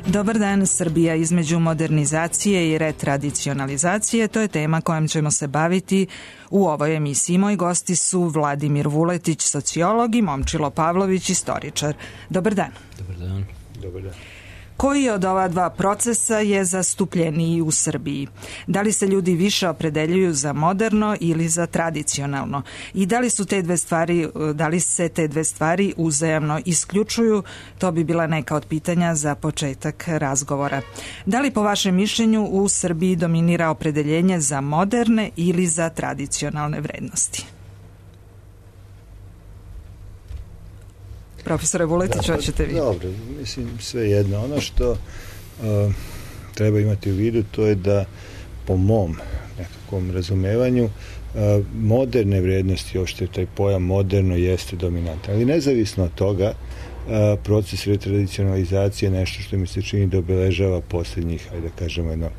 Dobar dan, Srbija između modernizacije i retradicionalizacije, to je tema kojom ćemo se baviti u ovoj emisiji. Moji gosti su Vladimir Vuletić, sociolog, i Momčilo Pavlović, istoričar. Dobar dan. Dobar dan. Dobar dan. Koji od ova dva procesa je zastupljeniji u Srbiji? Da li se ljudi više opredeljuju za moderno ili za tradicionalno? I da li se te dve stvari uzajamno isključuju? To bi bila neka od pitanja za početak razgovora. Da li po vašem mišljenju u Srbiji dominira opredeljenje za moderne ili za tradicionalne vrednosti? Profesore Vuletić, hoćete vi? Dobro, mislim sve jedno. Ono što treba imati u vidu, to je da po mom nekakvom razumevanju moderne vrednosti, uopšte taj pojam moderno jeste dominantan. Ali nezavisno od toga, proces retradicionalizacije je nešto što mi se čini da obeležava posljednjih, ajde da kažemo, jedno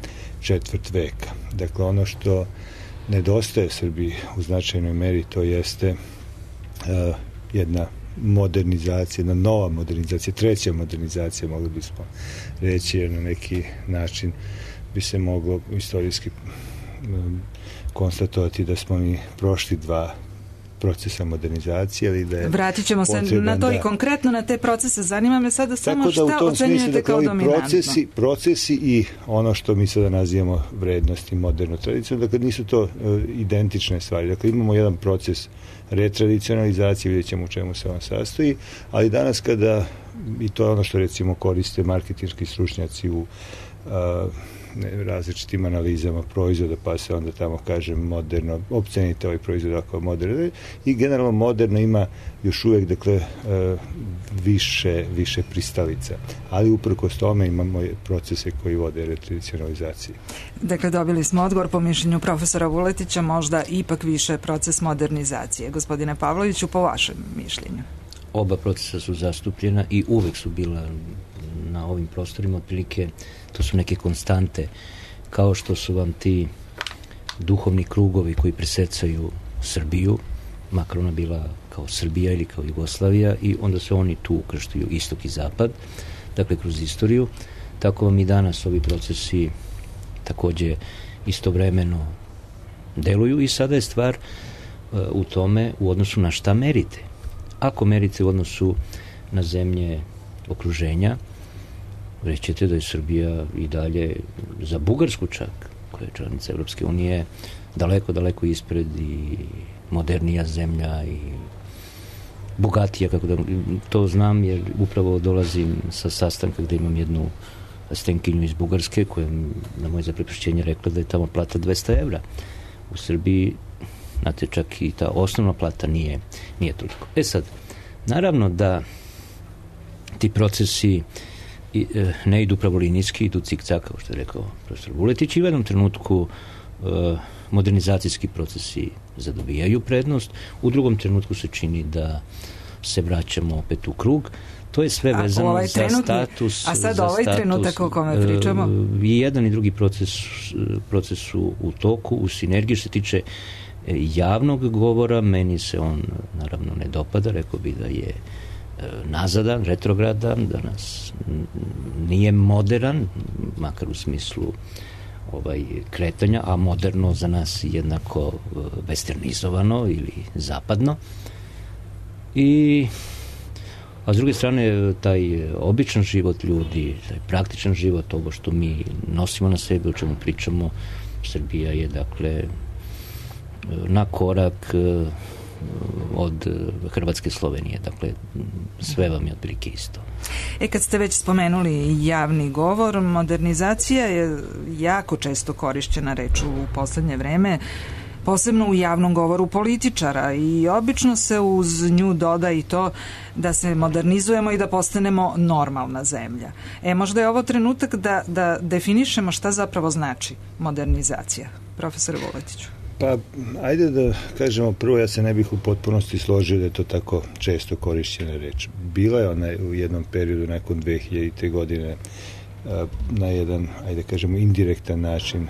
četvrt veka. Dakle, ono što nedostaje Srbiji u značajnoj meri, to jeste jedna modernizacija, jedna nova modernizacija, treća modernizacija, mogli bismo reći, jer na neki način bi se moglo istorijski konstatovati da smo mi prošli dva procesa modernizacije, ali da je vratit ćemo se na to i konkretno na te procese. Zanima me sada samo šta ocenjujete kao dominantno. Procesi i ono što mi sada nazivamo vrednosti moderno tradicionalno, dakle nisu to identične stvari. Dakle, imamo jedan proces retradicionalizacije, vidjet ćemo u čemu se on sastoji, ali danas kada, i to je ono što recimo koriste marketinški stručnjaci u različitim analizama proizvoda, pa se onda tamo kaže moderno, opcenite ovaj proizvod ako moderno, i generalno moderno ima još uvijek, dakle, više pristalica, ali uprkos tome imamo procese koji vode retradicionalizaciji. Dakle, dobili smo odgovor po mišljenju profesora Vuletića, možda ipak više proces modernizacije. Gospodine Pavloviću, po vašem mišljenju? Oba procesa su zastupljena i uvek su bila na ovim prostorima, otprilike to su neke konstante, kao što su vam ti duhovni krugovi koji presecaju Srbiju, makar ona bila kao Srbija ili kao Jugoslavija, i onda se oni tu ukrštaju, istok i zapad, dakle kroz istoriju. Tako vam i danas ovi procesi takođe istovremeno deluju, i sada je stvar u tome u odnosu na šta merite. Ako merite u odnosu na zemlje okruženja, rećete da je Srbija i dalje za Bugarsku čak, koja je članica Evropske unije, daleko ispred i modernija zemlja i bogatija, kako da, to znam jer upravo dolazim sa sastanka gde imam jednu stenkinju iz Bugarske koja na moje zaprepašćenje rekla da je tamo plata 200 evra. U Srbiji, znate, čak i ta osnovna plata nije toliko. Sad, naravno da ti procesi ne idu pravolinijski, idu cik-cak, kao što je rekao profesor Vuletić, i u jednom trenutku modernizacijski procesi zadobijaju prednost, u drugom trenutku se čini da se vraćamo opet u krug. To je sve vezano za status. A sad ovaj trenutak o kome pričamo? I jedan i drugi proces su u toku, u sinergiji. Što se tiče javnog govora, meni se on naravno ne dopada, rekao bi da je nazadan, retrogradan, da nas nije modern, makar u smislu kretanja, a moderno za nas jednako westernizovano ili zapadno. A s druge strane, taj običan život ljudi, taj praktičan život, ovo što mi nosimo na sebi, o čemu pričamo, Srbija je, dakle, na korak od Hrvatske, Slovenije, dakle sve vam je otprilike isto. Kad ste već spomenuli javni govor, modernizacija je jako često korišćena reč u poslednje vreme, posebno u javnom govoru političara, i obično se uz nju doda i to da se modernizujemo i da postanemo normalna zemlja. Možda je ovo trenutak da definišemo šta zapravo znači modernizacija. Profesor Vuletiću. Pa, ajde da kažemo prvo, ja se ne bih u potpunosti složio da je to tako često korišćena reč. Bila je ona u jednom periodu nakon 2000. godine na jedan, ajde kažemo, indirektan način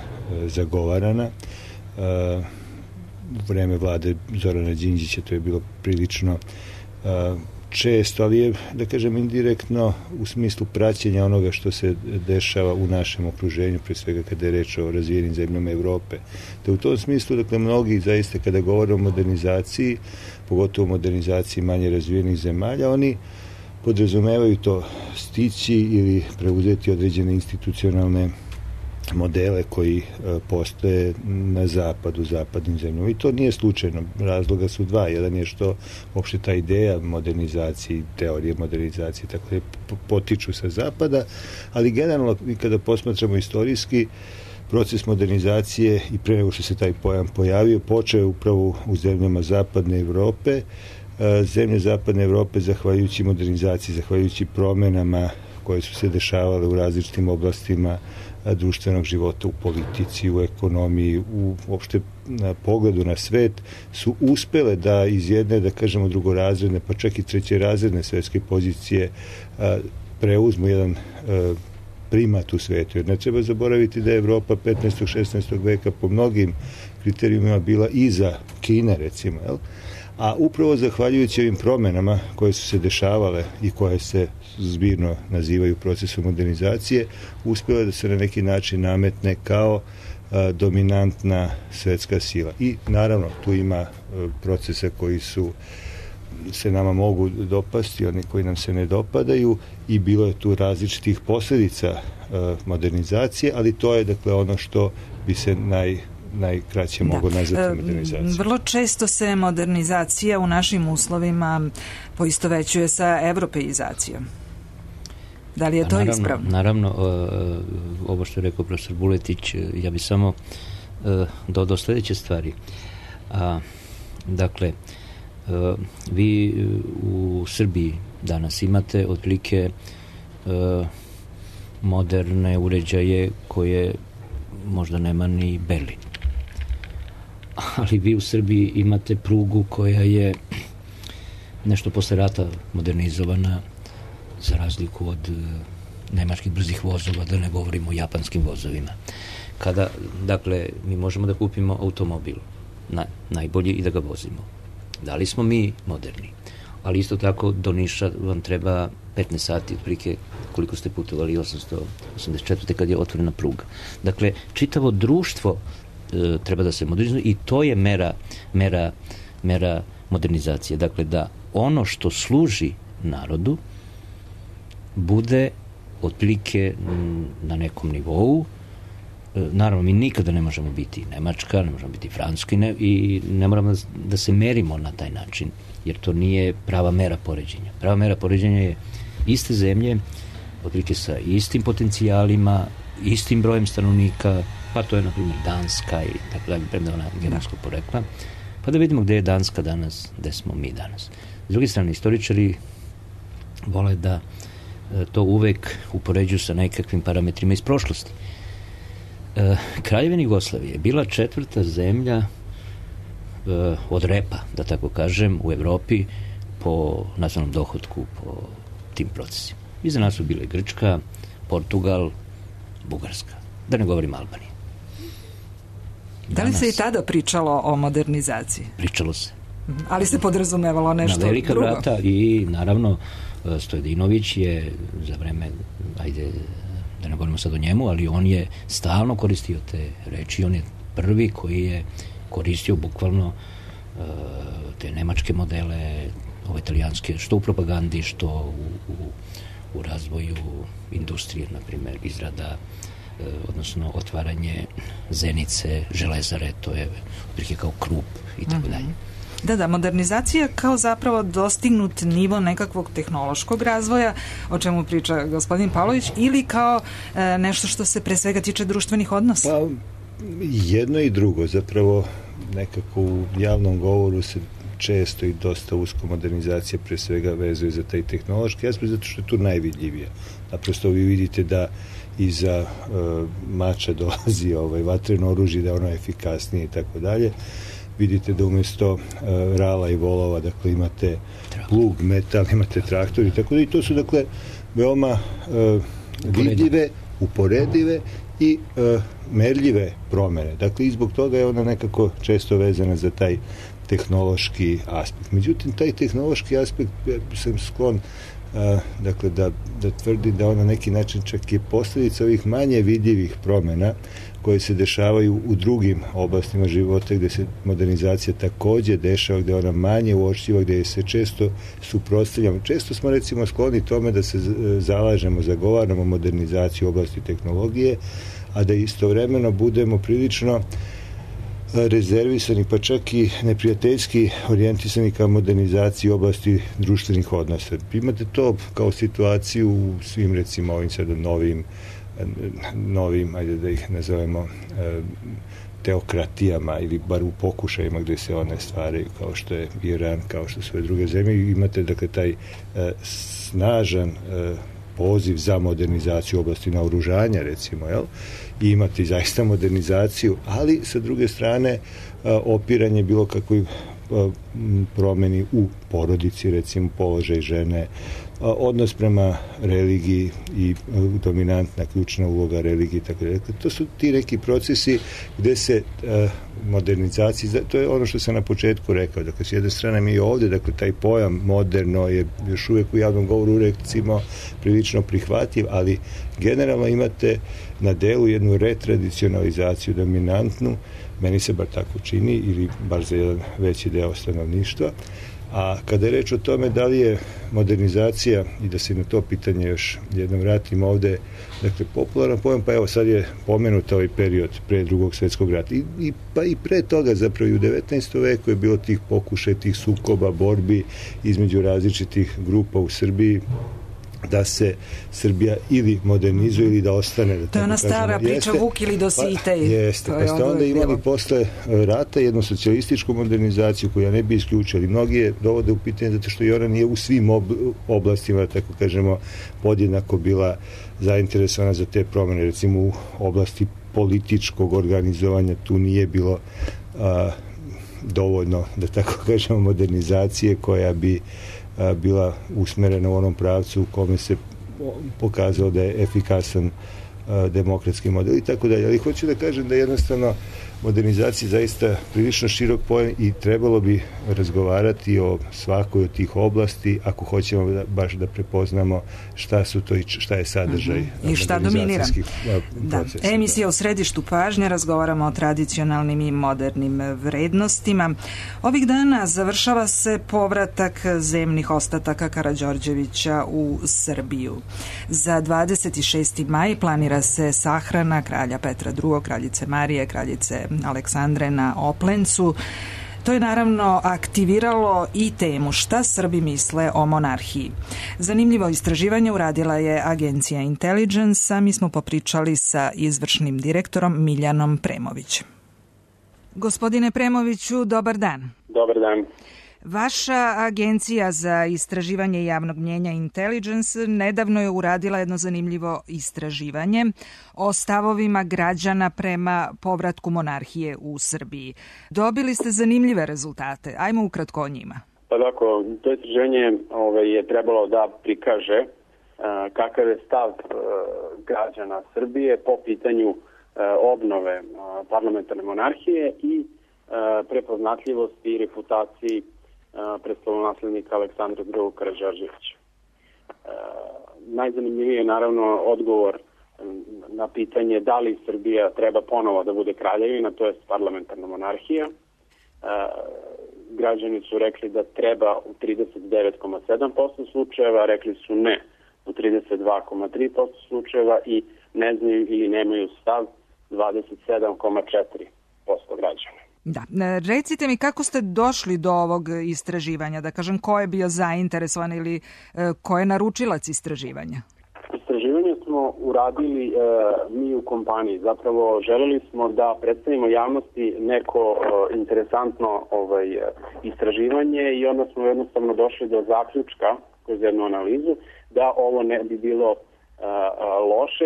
zagovarana. U vreme vlade Zorana Đinđića to je bilo prilično često, ali je, da kažem, indirektno u smislu praćenja onoga što se dešava u našem okruženju, pre svega kada je reč o razvijenim zemljama Evrope. Da u tom smislu, dakle, mnogi zaista kada govore o modernizaciji, pogotovo o modernizaciji manje razvijenih zemalja, oni podrazumevaju to stići ili preuzeti određene institucionalne modele koji postoje na zapadu, zapadnim zemljama. I to nije slučajno. Razloga su dva. Jedan je što uopšte ta ideja modernizacije, teorije modernizacije, tako da potiču sa zapada, ali generalno, kada posmatramo istorijski, proces modernizacije i pre nego što se taj pojam pojavio, počeo upravo u zemljama zapadne Evrope. Zemlje zapadne Evrope, zahvaljujući modernizaciji, zahvaljujući promenama koje su se dešavale u različitim oblastima društvenog života, u politici, u ekonomiji, u uopšte pogledu na svet, su uspele da iz jedne, da kažemo, drugorazredne, pa čak i trećerazredne svetske pozicije preuzmu jedan primat u svetu. Jer ne treba zaboraviti da je Evropa 15. 16. veka po mnogim kriterijumima bila iza Kine, recimo, jel? A upravo zahvaljujući ovim promenama koje su se dešavale i koje se zbirno nazivaju procesom modernizacije, uspjela da se na neki način nametne kao dominantna svetska sila. I naravno tu ima procesa koji se nama mogu dopasti, oni koji nam se ne dopadaju, i bilo je tu različitih posljedica modernizacije, ali to je, dakle, ono što bi se najkraće mogu nazvati modernizacija. Vrlo često se modernizacija u našim uslovima poistovećuje sa evropeizacijom. Da li je to ispravno? Naravno, ovo što je rekao profesor Vuletić, ja bi samo dodao sljedeće stvari. Dakle, vi u Srbiji danas imate otprilike moderne uređaje koje možda nema ni Berlin. Ali vi u Srbiji imate prugu koja je nešto posle rata modernizovana, za razliku od nemačkih brzih vozova, da ne govorimo o japanskim vozovima. Dakle, mi možemo da kupimo automobil najbolji i da ga vozimo. Da li smo mi moderni? Ali isto tako do Niša vam treba 15 sati, otprilike koliko ste putovali, 884. kad je otvorena pruga. Dakle, čitavo društvo treba da se modernizuje i to je mera modernizacije. Dakle, da ono što služi narodu bude otprilike na nekom nivou. Naravno, mi nikada ne možemo biti Nemačka, ne možemo biti Francuska i ne moramo da se merimo na taj način, jer to nije prava mera poređenja. Prava mera poređenja je iste zemlje, otprilike sa istim potencijalima, istim brojem stanovnika, pa to je, na primjer, Danska ili tako dalje, premda ona germanskog porekla, pa da vidimo gde je Danska danas, gde smo mi danas. S druge strane, istoričari vole da to uvek upoređuju sa nekakvim parametrima iz prošlosti. Kraljevina Jugoslavije je bila 4. zemlja od repa, da tako kažem, u Evropi po nacionalnom dohotku, po tim procesima. Iza nas su bile Grčka, Portugal, Bugarska. Da ne govorim Albanija. Da li se i tada pričalo o modernizaciji? Pričalo se. Ali se podrazumevalo nešto drugo? Na velika vrata i naravno Stojedinović je za vreme, da ne govorimo sad o njemu, ali on je stalno koristio te reči, on je prvi koji je koristio bukvalno te nemačke modele, ove italijanske, što u propagandi, što u razvoju industrije, na primjer, izrada, odnosno otvaranje Zenice, železare, to je otprilike kao Krupp i tako dalje. Da, modernizacija kao zapravo dostignut nivo nekakvog tehnološkog razvoja, o čemu priča gospodin Pavlović, ili kao nešto što se pre svega tiče društvenih odnosa? Pa, jedno i drugo. Zapravo, nekako u javnom govoru se često i dosta usko modernizacija pre svega vezuje za taj tehnološki aspekt, zato što je tu najvidljivija. Naprosto vi vidite da iza mača dolazi vatreno oružje, da ono je efikasnije i tako dalje. Vidite da umjesto rala i volova, dakle, imate plug, metal, imate traktor i tako da, i to su, dakle, veoma vidljive, uporedive i merljive promene. Dakle, i zbog toga je ona nekako često vezana za taj tehnološki aspekt. Međutim, taj tehnološki aspekt sam sklon dakle da tvrdi da on na neki način čak je posljedica ovih manje vidljivih promjena koje se dešavaju u drugim oblastima života gdje se modernizacija također dešava, gdje je ona manje uočljiva, gdje se često suprotstavljamo. Često smo recimo skloni tome da se zalažemo, zagovaramo modernizaciju u oblasti tehnologije, a da istovremeno budemo prilično rezervisani, pa čak i neprijateljski orijentisani ka modernizaciji oblasti društvenih odnosa. Imate to kao situaciju u svim recimo ovim sada novim, ajde da ih nazovemo teokratijama ili bar u pokušajima gdje se one stvaraju, kao što je Iran, kao što su druge zemlje. Imate dakle taj snažan poziv za modernizaciju oblasti naoružanja, recimo, jel? I imati zaista modernizaciju, ali sa druge strane opiranje bilo kakvoj promjeni u porodici, recimo položaj žene, odnos prema religiji i dominantna ključna uloga religije. Tako da. To su ti neki procesi gdje se modernizacija, to je ono što sam na početku rekao, dakle s jedne strane mi ovdje, dakle taj pojam moderno je još uvijek u javnom govoru recimo prilično prihvatljiv, ali generalno imate na delu jednu retradicionalizaciju dominantnu, meni se bar tako čini, ili bar za jedan veći deo stanovništva. A kada je reč o tome da li je modernizacija, i da se na to pitanje još jednom vratim ovdje, dakle popularan pojam, pa evo sad je pomenut ovaj period pre Drugog svjetskog rata pa i pre toga zapravo i u 19. veku je bilo tih pokušaja, tih sukoba, borbi između različitih grupa u Srbiji da se Srbija ili modernizuje ili da ostane. Da to je ona stara priča Vuk ili Dositej. Jeste, pa ste onda imali posle rata jednu socijalističku modernizaciju koju ja ne bi isključili. Mnogi je dovode u pitanje zato što i ona nije u svim oblastima, tako kažemo, podjednako bila zainteresovana za te promjene. Recimo u oblasti političkog organizovanja tu nije bilo dovoljno, da tako kažemo, modernizacije koja bi bila usmerena u onom pravcu u kome se pokazalo da je efikasan demokratski model i tako dalje. Ali hoću da kažem da jednostavno modernizacija zaista prilično širok pojam i trebalo bi razgovarati o svakoj od tih oblasti ako hoćemo baš da prepoznamo šta su to i šta je sadržaj i šta dominira. Procesa. Emisija u središtu pažnje, razgovaramo o tradicionalnim i modernim vrednostima. Ovih dana završava se povratak zemnih ostataka Karađorđevića u Srbiju. Za 26. maj planira se sahrana kralja Petra II, kraljice Marije, kraljice Aleksandre na Oplencu. To je naravno aktiviralo i temu šta Srbi misle o monarhiji. Zanimljivo istraživanje uradila je agencija Intelligence, a mi smo popričali sa izvršnim direktorom Miljanom Premovićem. Gospodine Premoviću, dobar dan. Dobar dan. Vaša agencija za istraživanje javnog mnjenja Intelligence nedavno je uradila jedno zanimljivo istraživanje o stavovima građana prema povratku monarhije u Srbiji. Dobili ste zanimljive rezultate. Ajmo ukratko o njima. Pa tako, to istraživanje je trebalo da prikaže kakav je stav građana Srbije po pitanju obnove parlamentarne monarhije i prepoznatljivosti i reputaciji prestolonaslednika Aleksandra II. Karađorđevića. Najzanimljiviji je naravno odgovor na pitanje da li Srbija treba ponovo da bude kraljevina, to je parlamentarna monarhija. Građani su rekli da treba u 39,7% slučajeva, rekli su ne u 32,3% slučajeva i ne znaju ili nemaju stav 27,4% građana. Da. Recite mi kako ste došli do ovog istraživanja, da kažem ko je bio zainteresovan ili ko je naručilac istraživanja? Istraživanje smo uradili mi u kompaniji. Zapravo želeli smo da predstavimo javnosti neko interesantno istraživanje i onda smo jednostavno došli do zaključka kroz jednu analizu da ovo ne bi bilo loše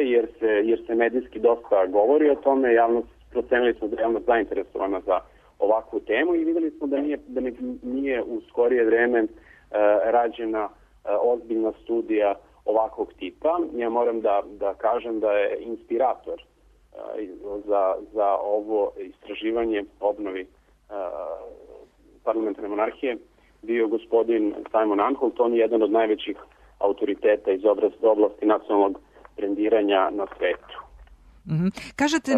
jer se medijski dosta govori o tome, procenili smo da je javnost zainteresovana za ovakvu temu i videli smo da nije u skorije vreme rađena ozbiljna studija ovakvog tipa. Ja moram da kažem da je inspirator za ovo istraživanje obnovi parlamentarne monarhije bio gospodin Simon Anholt. On je jedan od najvećih autoriteta iz oblasti nacionalnog brendiranja na svetu. Kažete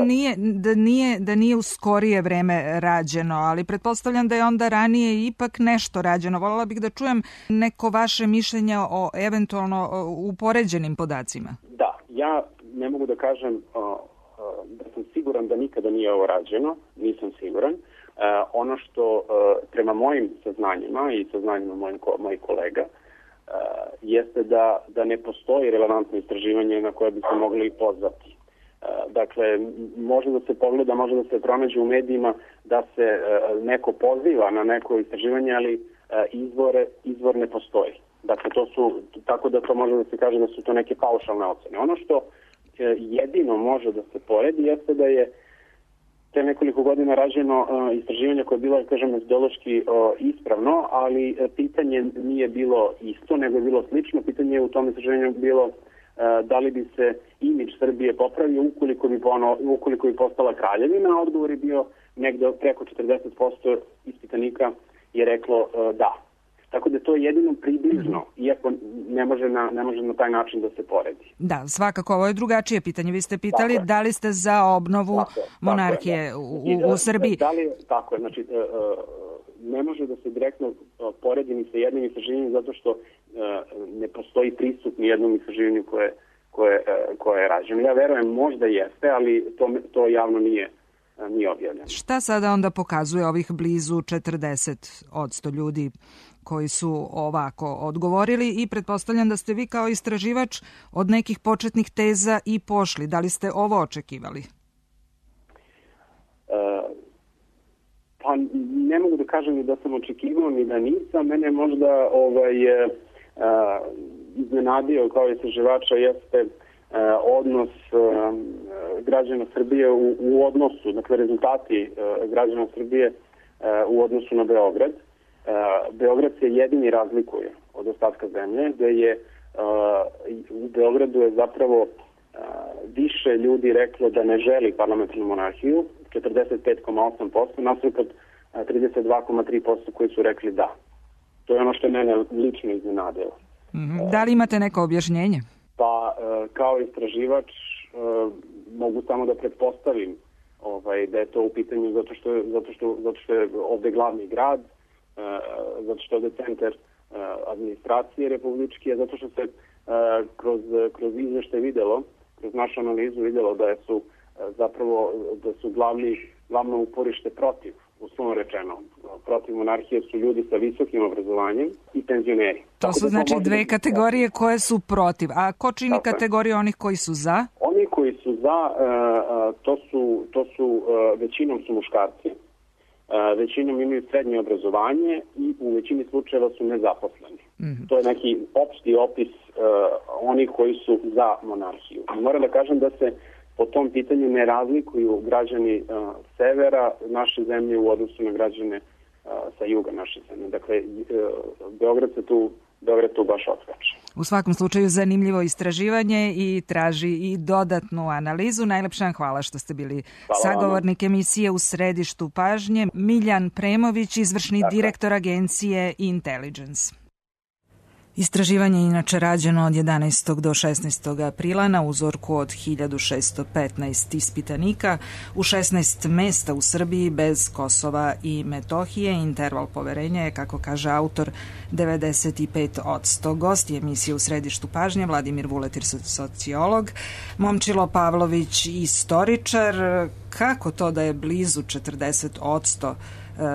da nije u skorije vreme rađeno, ali pretpostavljam da je onda ranije ipak nešto rađeno. Voljela bih da čujem neko vaše mišljenje o eventualno upoređenim podacima. Da, ja ne mogu da kažem da sam siguran da nikada nije ovo rađeno, nisam siguran. Ono što prema mojim saznanjima i saznanjima mojih kolega jeste da ne postoji relevantno istraživanje na koje bi se mogli pozvati. Dakle, može da se pogleda, može da se pronađe u medijima da se neko poziva na neko istraživanje, ali izvor ne postoji. Dakle, tako da to može da se kaže da su to neke paušalne ocene. Ono što jedino može da se poredi jeste da je te nekoliko godina rađeno istraživanje koje je bilo, kažem, metodološki ispravno, ali pitanje nije bilo isto, nego je bilo slično. Pitanje je u tom istraživanju bilo da li bi se imidž Srbije popravio ukoliko bi postala kraljevina. Odgovor je bio negde preko 40% ispitanika je reklo da. Tako da to je jedino približno, iako ne može na taj način da se poredi. Da, svakako, ovo je drugačije pitanje. Vi ste pitali da li ste za obnovu monarhije u Srbiji. Tako je, znači ne može da se direktno poredi ni sa jednim istraživanjem zato što ne postoji pristup ni jednom istraživanju koje je rađeno. Ja verujem, možda jeste, ali to javno nije objavljeno. Šta sada onda pokazuje ovih blizu 40% ljudi koji su ovako odgovorili i pretpostavljam da ste vi kao istraživač od nekih početnih teza i pošli. Da li ste ovo očekivali? Pa ne mogu da kažem ni da sam očekivao ni da nisam. Mene možda iznenadio kao istraživača jeste odnos građana Srbije u odnosu, dakle rezultati građana Srbije u odnosu na Beograd. Beograd se jedini razlikuje od ostatka zemlje, gde je u Beogradu je zapravo više ljudi reklo da ne želi parlamentarnu monarhiju, 45,8%, nasuprot 32,3% koji su rekli da. To je ono što je mene lično iznenadilo. Da li imate neko objašnjenje? Pa kao istraživač mogu samo da pretpostavim da je to u pitanju zato što je ovde glavni grad, zato što je ovde centar administracije republičke, zato što se kroz izveštaj videlo, kroz našu analizu videlo da su glavno uporište protiv, uslovno rečeno, protiv monarhije su ljudi sa visokim obrazovanjem i penzioneri. To su znači dve kategorije koje su protiv. A ko čini kategoriju onih koji su za? Oni koji su za, to su većinom su muškarci, većinom imaju srednje obrazovanje i u većini slučajeva su nezaposleni. To je neki opšti opis onih koji su za monarhiju. Moram da kažem da se po tom pitanju ne razlikuju građani severa naše zemlje u odnosu na građane sa juga naše zemlje. Dakle, Beograd tu baš odskače. U svakom slučaju zanimljivo istraživanje i traži i dodatnu analizu. Najlepša hvala što ste bili sagovornik emisije U središtu pažnje. Miljan Premović, izvršni direktor agencije Intelligence. Istraživanje je inače rađeno od 11. do 16. aprila na uzorku od 1615 ispitanika u 16 mesta u Srbiji bez Kosova i Metohije. Interval poverenja je, kako kaže autor, 95%. Gosti emisije U središtu pažnje Vladimir Vuletir, sociolog, Momčilo Pavlović, istoričar. Kako to da je blizu 40%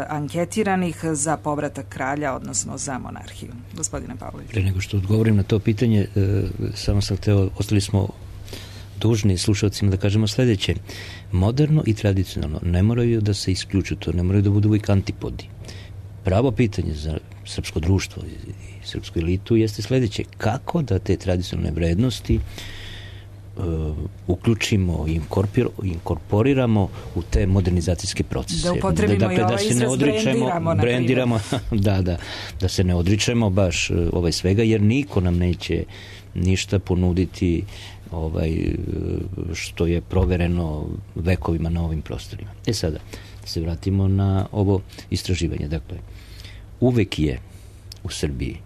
anketiranih za povratak kralja, odnosno za monarhiju? Gospodine Pavlović. Pre nego što odgovorim na to pitanje, samo sam hteo, ostali smo dužni slušalcima da kažemo sledeće. Moderno i tradicionalno ne moraju da se isključu, to ne moraju da budu uvijek antipodi. Pravo pitanje za srpsko društvo i srpsku elitu jeste sledeće. Kako da te tradicionalne vrednosti uključimo i inkorporiramo u te modernizacijske procese. Da upotrebimo i ovaj izraz brendiramo. Da se ne odričemo baš svega, jer niko nam neće ništa ponuditi što je provereno vekovima na ovim prostorima. Sada, da se vratimo na ovo istraživanje. Dakle, uvek je u Srbiji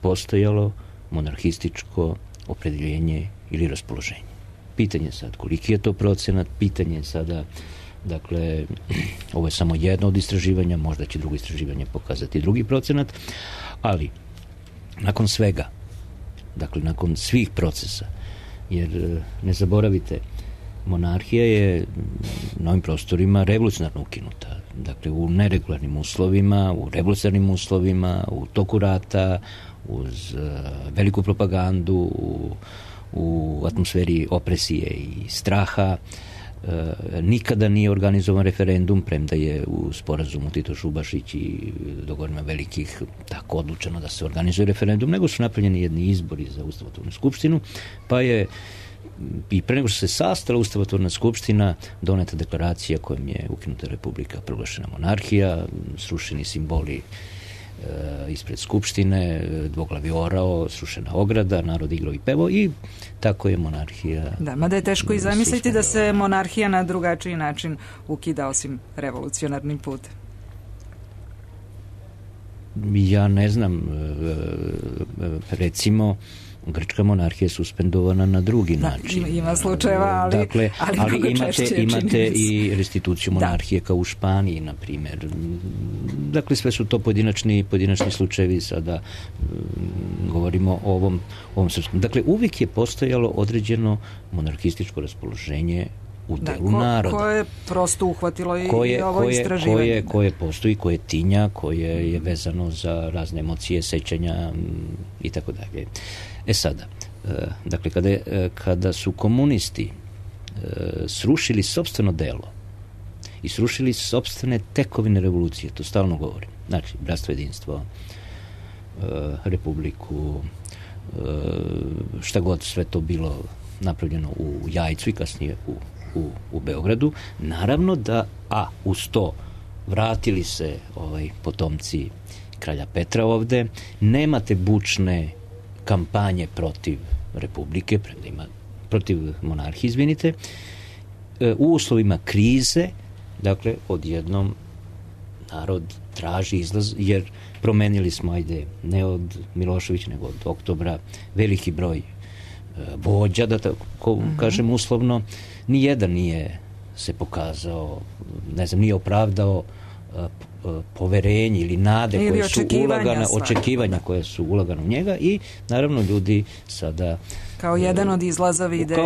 postojalo monarhističko opredeljenje ili raspoloženje. Pitanje sad koliki je to procenat, pitanje sada, dakle, ovo je samo jedno od istraživanja, možda će drugo istraživanje pokazati drugi procenat, ali nakon svega, dakle, nakon svih procesa, jer ne zaboravite, monarhija je na ovim prostorima revolucionarno ukinuta. Dakle, u neregularnim uslovima, u revolucionarnim uslovima, u toku rata, uz veliku propagandu, u atmosferi opresije i straha. Nikada nije organizovan referendum, premda je u sporazumu Tito Šubašić i dogovorima velikih tako odlučeno da se organizuje referendum, nego su napravljeni jedni izbori za Ustavotvornu skupštinu, pa je i pre nego što se sastala Ustavotvorna skupština doneta deklaracija kojom je ukinuta republika, proglašena monarhija, srušeni simboli ispred skupštine, dvoglavi orao, srušena ograda, narod igrao i pevao i tako je monarhija. Da, mada je teško i zamisliti da se monarhija na drugačiji način ukida osim revolucionarnim putem. Ja ne znam, recimo grčka monarhija je suspendovana na drugi način. Ima slučajeva, ali, dakle, ali imate i restituciju monarhije kao u Španiji, na primjer. Dakle, sve su to pojedinačni slučajevi, sada govorimo o ovom srpskom. Dakle, uvijek je postojalo određeno monarhističko raspoloženje u delu naroda. Koje je prosto uhvatilo i ovo istraživanje. Koje postoji, koje tinja, koje je vezano za razne emocije, sećanja i tako dalje. Sada, dakle, kada su komunisti srušili sopstveno delo i srušili sopstvene tekovine revolucije, to stalno govorim, znači, bratstvo, jedinstvo, republiku, šta god sve to bilo napravljeno u Jajcu i kasnije u Beogradu, naravno da, uz to vratili se potomci kralja Petra ovde, nemate bučne kampanje protiv republike, protiv monarhije, izvinite, u uslovima krize, dakle, odjednom narod traži izlaz, jer promenili smo, ne od Miloševića, nego od Oktobra, veliki broj vođa, da tako kažem uslovno, nijedan nije se pokazao, ne znam, nije opravdao poverenje ili nade koje su očekivanja koje su ulagane u njega i naravno ljudi sada kao jedan od izlaza vide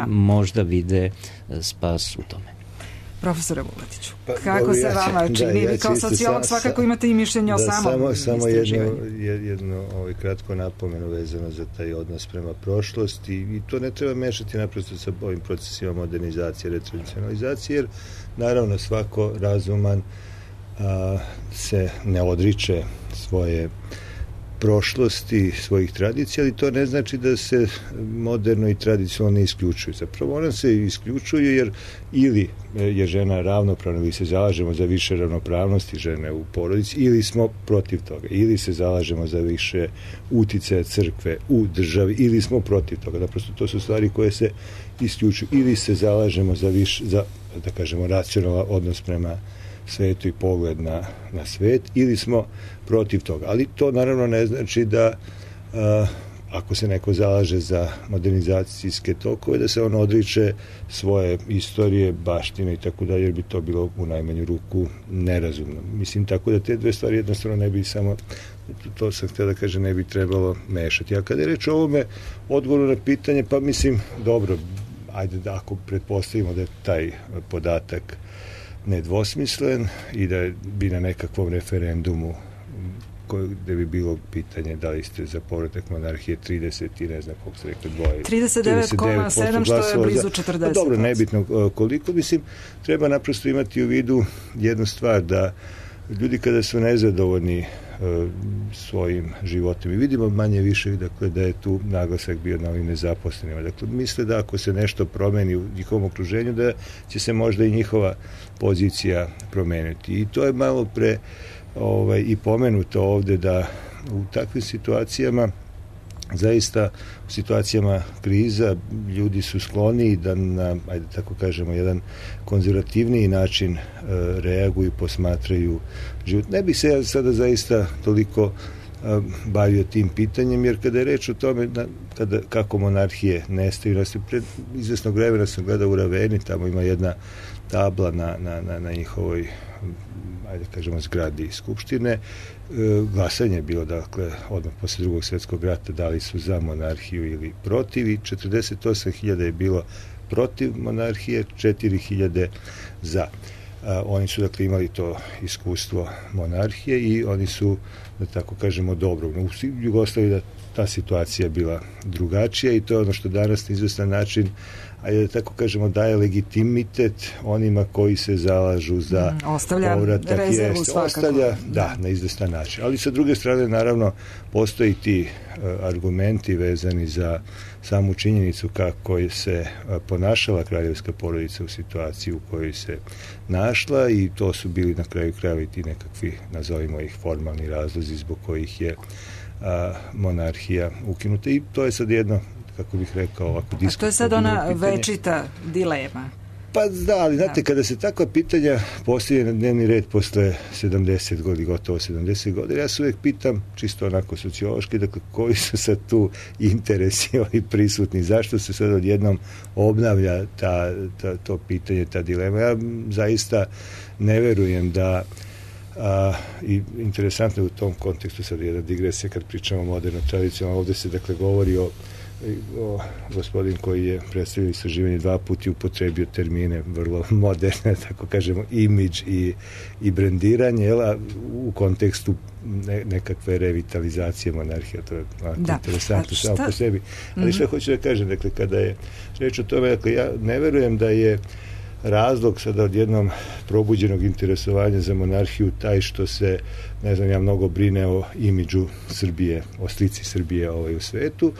možda vide spas u tome. Profesore Vuletiću, kako se vama čini? Vi kao sociolog svakako imate i mišljenje o samom istraživanju. Jedno kratko napomenu vezano za taj odnos prema prošlosti i to ne treba mešati naprosto sa ovim procesima modernizacije, retradicionalizacije, jer naravno svako razuman se ne odriče svoje prošlosti, svojih tradicija, ali to ne znači da se moderno i tradicionalno ne isključuju. Zapravo ona se isključuju jer ili je žena ravnopravna, ili se zalažemo za više ravnopravnosti žene u porodici, ili smo protiv toga, ili se zalažemo za više uticaja crkve u državi, ili smo protiv toga. Naprosto to su stvari koje se isključuju. Ili se zalažemo za više, da kažemo, racionalan odnos prema svetu i pogled na svet, ili smo protiv toga. Ali to naravno ne znači da ako se neko zalaže za modernizacijske tokove, da se on odriče svoje istorije, baštine i tako dalje, jer bi to bilo u najmanju ruku nerazumno. Mislim, tako da te dve stvari jednostavno ne bi samo, to sam htio da kažem, ne bi trebalo mešati. A kada je reč o ovome odgovoru na pitanje, pa mislim, dobro, ajde da ako pretpostavimo da je taj podatak nedvosmislen i da bi na nekakvom referendumu gde bi bilo pitanje da li ste za povratak monarhije 30 i ne znam koliko ste rekli 39,7 što je blizu 40%. Dobro, nebitno koliko, mislim, treba naprosto imati u vidu jednu stvar, da ljudi kada su nezadovoljni svojim životom. I vidimo manje više, dakle, da je tu naglasak bio na ovim nezaposlenima. Dakle, misle da ako se nešto promeni u njihovom okruženju, da će se možda i njihova pozicija promeniti. I to je malo pre i pomenuto ovde, da u takvim situacijama, zaista u situacijama kriza, ljudi su skloni da na, ajde tako kažemo, jedan konzervativniji način reaguju, posmatraju život. Ne bih se ja sada zaista toliko bavio tim pitanjem, jer kada je reč o tome kako monarhije nestaju, pred izvesnog vremena sam gledao u Raveni, tamo ima jedna tabla na njihovoj, ajde kažemo, zgradi Skupštine. Glasanje je bilo, dakle, odmah posle Drugog svjetskog rata, da li su za monarhiju ili protiv, i 48.000 je bilo protiv monarhije, 4.000 za. Oni su, dakle, imali to iskustvo monarhije i oni su, da tako kažemo, dobro. U Jugoslaviji da ta situacija bila drugačija, i to je ono što danas na izvestan način, ajde da tako kažemo, daje legitimitet onima koji se zalažu za povratak. Ostavlja, na izvestan način. Ali sa druge strane, naravno, postoji ti argumenti vezani za samu činjenicu kako je se ponašala kraljevska porodica u situaciji u kojoj se našla, i to su bili na kraju krajeva i ti nekakvi, nazovimo ih, formalni razlozi zbog kojih je monarhija ukinuta. I to je sad jedno, kako bih rekao, ovako diskutabilno pitanje. A to je sad ona večita dilema. Pa da, ali znate, kada se takva pitanja postavlja na dnevni red posle 70 godina, gotovo 70 godina, ja se uvijek pitam, čisto onako sociološki, dakle, koji su sad tu interesi prisutni, zašto se sad odjednom obnavlja to pitanje, ta dilema. Ja zaista ne verujem da i interesantno je u tom kontekstu sad jedna digresija kad pričamo o moderno tradicionalno. Ovde se, dakle, govori o gospodin koji je predstavio istraživanje 2 puta upotrebio termine vrlo moderne, tako kažemo, imidž i brendiranje, u kontekstu nekakve revitalizacije monarhije. To je interesantno samo po sebi. Ali što hoću da kažem, dakle, kada je reč o tome, dakle, ja ne verujem da je razlog sada odjednom probuđenog interesovanja za monarhiju taj što se, ne znam, ja mnogo brine o imidžu Srbije, o slici Srbije u svetu.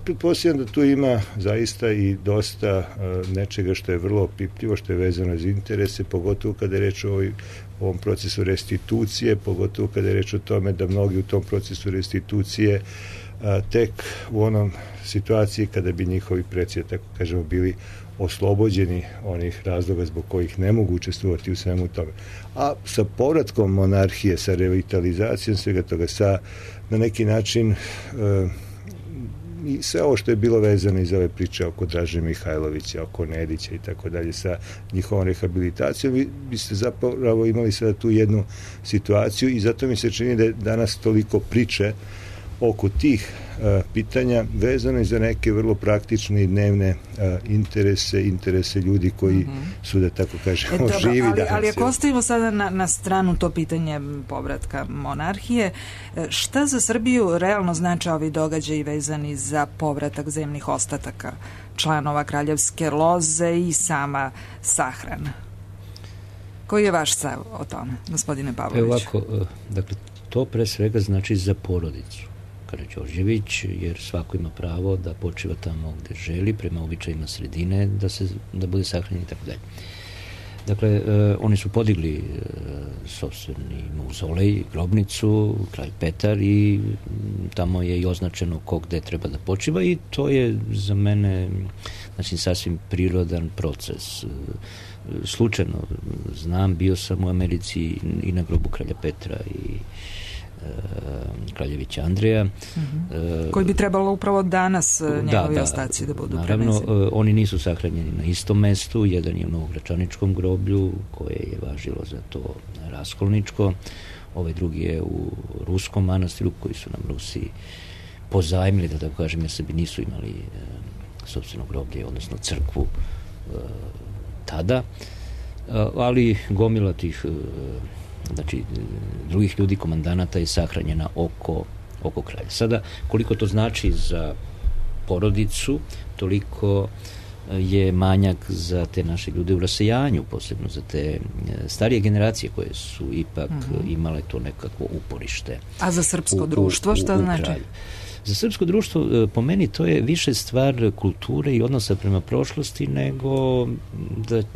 Pretpostavljam da tu ima zaista i dosta nečega što je vrlo opipljivo, što je vezano za interese, pogotovo kada je reč o ovom procesu restitucije, pogotovo kada je reč o tome da mnogi u tom procesu restitucije tek u onom situaciji kada bi njihovi preci, tako kažemo, bili oslobođeni onih razloga zbog kojih ne mogu učestvovati u svemu tome. A sa povratkom monarhije, sa revitalizacijom svega toga, na neki način i sve ovo što je bilo vezano iz ove priče oko Draže Mihajlovića, oko Nedića i tako dalje, sa njihovom rehabilitacijom, vi biste zapravo imali sada tu jednu situaciju, i zato mi se čini da je danas toliko priče oko tih pitanja vezano i za neke vrlo praktične i dnevne interese ljudi koji su, da tako kažemo, živi danas. Ali ako ostavimo sada na stranu to pitanje povratka monarhije, šta za Srbiju realno znači ovi događaji vezani za povratak zemnih ostataka članova kraljevske loze i sama sahrana? Koji je vaš stav o tome, gospodine Pavlović? Ovako, dakle, to pre svega znači za porodicu Karađorđević, jer svako ima pravo da počiva tamo gde želi, prema običajima sredine, da bude sahranjen i tako dalje. Dakle, oni su podigli sopstveni mauzolej, grobnicu, kralj Petar, i tamo je i označeno ko gde treba da počiva, i to je za mene, znači, sasvim prirodan proces. Slučajno znam, bio sam u Americi i na grobu kralja Petra i kraljevića Andreja. Koji bi trebalo upravo danas njegovi ostaci da budu preneseni. Naravno, oni nisu sahranjeni na istom mestu, jedan je u Novogračaničkom groblju, koje je važilo za to raskolničko, ovaj drugi je u ruskom manastiru, koji su nam Rusi pozajmili, da tako kažem, jer sebi nisu imali sopstveno groblje, odnosno crkvu tada, ali gomila tih znači drugih ljudi, komandanata, je sahranjena oko kralja. Sada, koliko to znači za porodicu, toliko je manjak za te naše ljude u rasejanju, posebno za te starije generacije koje su ipak imale to nekakvo uporište. A za srpsko društvo šta znači? Za srpsko društvo, po meni, to je više stvar kulture i odnosa prema prošlosti nego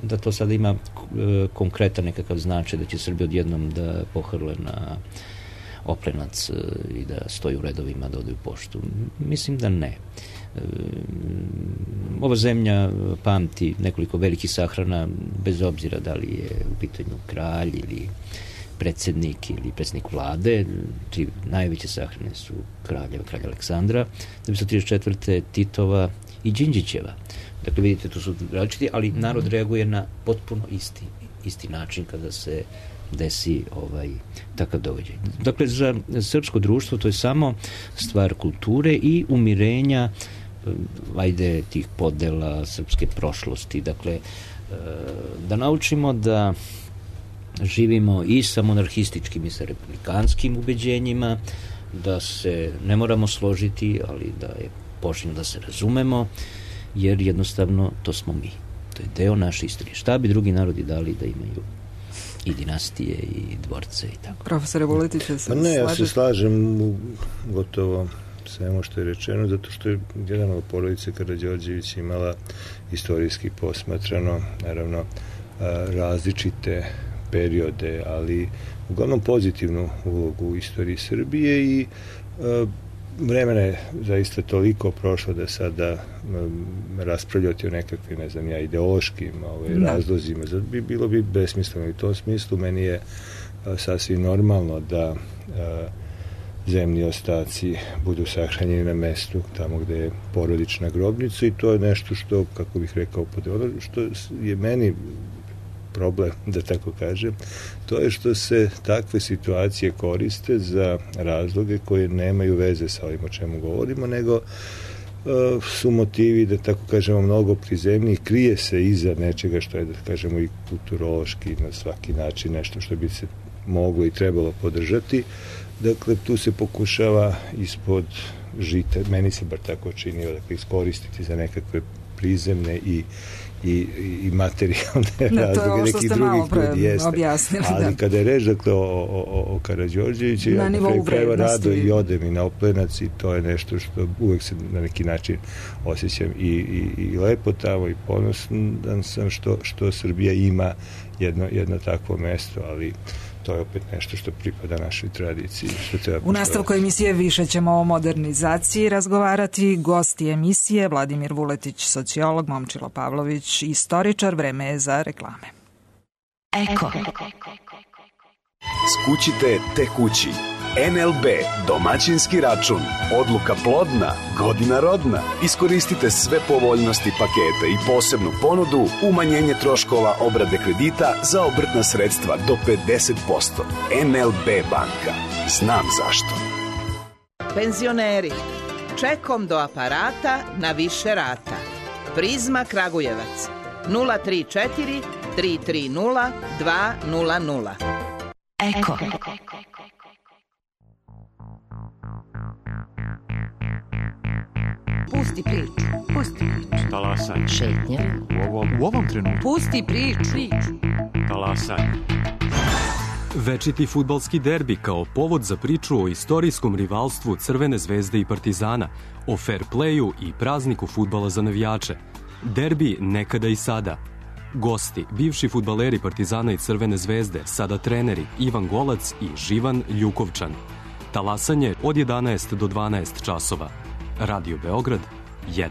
da to sada ima konkretan nekakav značaj, da će Srbi odjednom da pohrle na Oplenac i da stoji u redovima da ode u poštu. Mislim da ne. Ova zemlja pamti nekoliko velikih sahrana, bez obzira da li je u pitanju kralj ili predsjednik ili predsjednik vlade. Tri najveće sahrane su kralja Aleksandra, 1934. Titova i Đinđićeva. Dakle, vidite, to su različiti, ali narod reaguje na potpuno isti način kada se desi takav događaj. Dakle, za srpsko društvo to je samo stvar kulture i umirenja tih podela srpske prošlosti. Dakle, da naučimo da živimo i sa monarhističkim i sa republikanskim ubeđenjima, da se ne moramo složiti, ali da je počinjeno da se razumemo, jer jednostavno to smo mi. To je deo naše istorije. Šta bi drugi narodi dali da imaju i dinastije i dvorce i tako. Profesore Vuletić, se slažete? Ne, ja se slažem u gotovo svemu što je rečeno, zato što je jedan od porodice Karađorđević imala istorijski posmatrano, naravno, različite periode, ali uglavnom pozitivnu ulogu u istoriji Srbije i vremena je zaista toliko prošlo da sada raspravljati o nekakvim, ne znam ja, ideološkim razlozima, bilo bi besmisleno. I u tom smislu meni je sasvim normalno da zemlji ostaci budu sahranjeni na mestu tamo gde je porodična grobnica i to je nešto što, kako bih rekao, ono što je meni problem, da tako kažem, to je što se takve situacije koriste za razloge koje nemaju veze sa ovim o čemu govorimo, nego su motivi, da tako kažemo, mnogo prizemniji, krije se iza nečega što je, da kažemo, i kulturološki na svaki način nešto što bi se moglo i trebalo podržati. Dakle, tu se pokušava ispod žita, meni se bar tako činio, dakle, iskoristiti za nekakve prizemne i materijalne razloge nekih drugih ljudi, objasnili, ali kada je reč, dakle, o Karađorđeviću, ja na kraju krajeva rado i odem i na Oplenac i to je nešto što uvek se na neki način osjećam i lepo tamo i ponosan sam što Srbija ima jedno takvo mesto, ali to je opet nešto što pripada našoj tradiciji. U nastavku emisije više ćemo o modernizaciji razgovarati. Gosti emisije Vladimir Vuletić, sociolog, Momčilo Pavlović, istoričar. Vreme je za reklame. Eko. Skućite te kući. NLB, domaćinski račun, odluka plodna, godina rodna. Iskoristite sve povoljnosti paketa i posebnu ponudu, umanjenje troškova obrade kredita za obrtna sredstva do 50%. NLB banka. Znam zašto. Penzioneri, čekom do aparata na više rata. Prizma Kragujevac 034 330 200. Eko. Pusti priču. Talasanje. Šetnja. U ovom trenutku. Pusti priču. Talasanje. Večiti fudbalski derbi kao povod za priču o istorijskom rivalstvu Crvene zvezde i Partizana, o fair playu i prazniku fudbala za navijače. Derbi nekada i sada. Gosti, bivši fudbaleri Partizana i Crvene zvezde, sada treneri Ivan Golac i Živan Ljukovčan. Talasanje od 11 do 12 časova. Radio Beograd 1.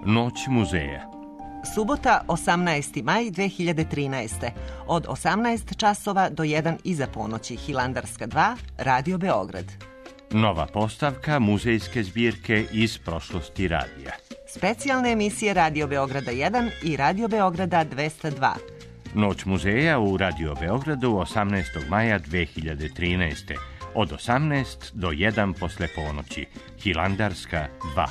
Noć muzeja. Subota, 18. maj 2013. Od 18 časova do 1 iza ponoći. Hilandarska 2, Radio Beograd. Nova postavka muzejske zbirke iz prošlosti radija. Specijalne emisije Radio Beograda 1 i Radio Beograda 202. Noć muzeja u Radio Beogradu 18. maja 2013. Od 18 do 1 posle ponoći. Hilandarska 2.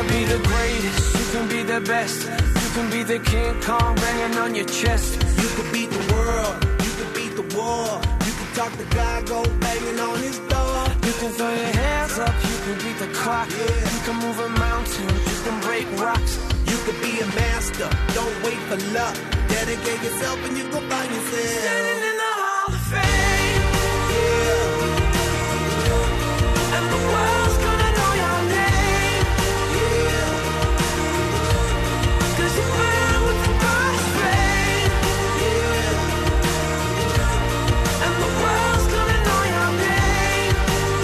be the greatest, you can be the best. You can be the King Kong banging on your chest. You can beat the world, you can beat the war. You can talk the guy, go banging on his door. You can throw your hands up, you can beat the clock. You can move a mountain, you can break rocks. You can be a master, don't wait for luck. Dedicate yourself and you go find yourself standing in the Hall of Fame. Yeah. And the world's gonna know your name. Yeah. 'Cause you burn with the first flame. Yeah. And the world's gonna know your name.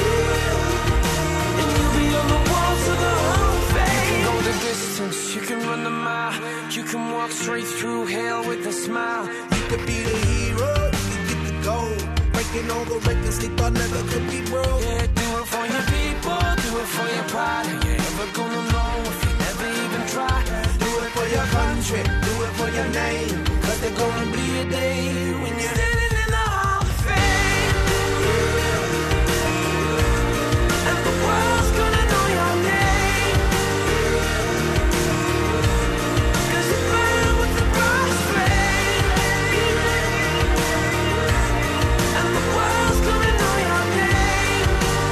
Yeah. And you'll be on the walls of the Hall of Fame. You can go the distance, you can run the mile. You can walk straight through hell with a smile. You could be the hero, you can get the gold. Breaking all the records they thought never could be broke. Yeah, do it for your people, do it for your pride. Are you ever gonna know if you never even try? Do it for your country, do it for your name. 'Cause there's gonna be a day when you're standing in the Hall of Fame. Yeah. And the world's gonna know your name. Yeah. 'Cause you burn with the first flame. And the world's gonna know your name.